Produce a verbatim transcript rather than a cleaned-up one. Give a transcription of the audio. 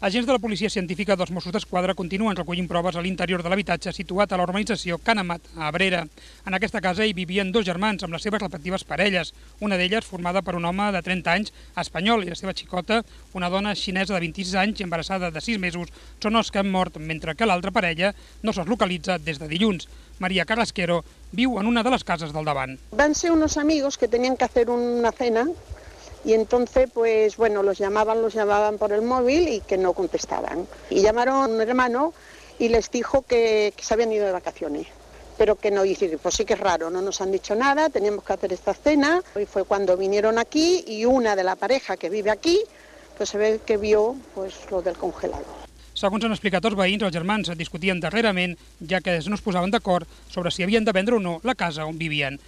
Agents de la policia científica dels Mossos d'Esquadra continuen recollint proves a l'interior de l'habitatge situat a la urbanització Can Amat, a Abrera. En aquesta casa hi vivien dos germans amb les seves respectives parelles, una d'elles formada per un home de trenta anys espanyol i la seva xicota, una dona xinesa de vint-i-sis anys i embarassada de sis mesos, són els que han mort, mentre que l'altra parella no se'ls localitza des de dilluns. María Carrasquero viu en una de les cases del davant. Van ser unos amigos que tenían que hacer una cena. Y entonces, pues bueno, los llamaban, los llamaban por el móvil y que no contestaban. Y llamaron a un hermano y les dijo que, que se habían ido de vacaciones, pero que no, y dice, pues sí que es raro, no nos han dicho nada, teníamos que hacer esta cena. Y fue cuando vinieron aquí y una de la pareja que vive aquí, pues se ve que vio pues lo del congelador. Segons han explicat els veïns, els germans discutien darrerament, ja que no es posaven d'acord sobre si havien de vendre o no la casa on vivien.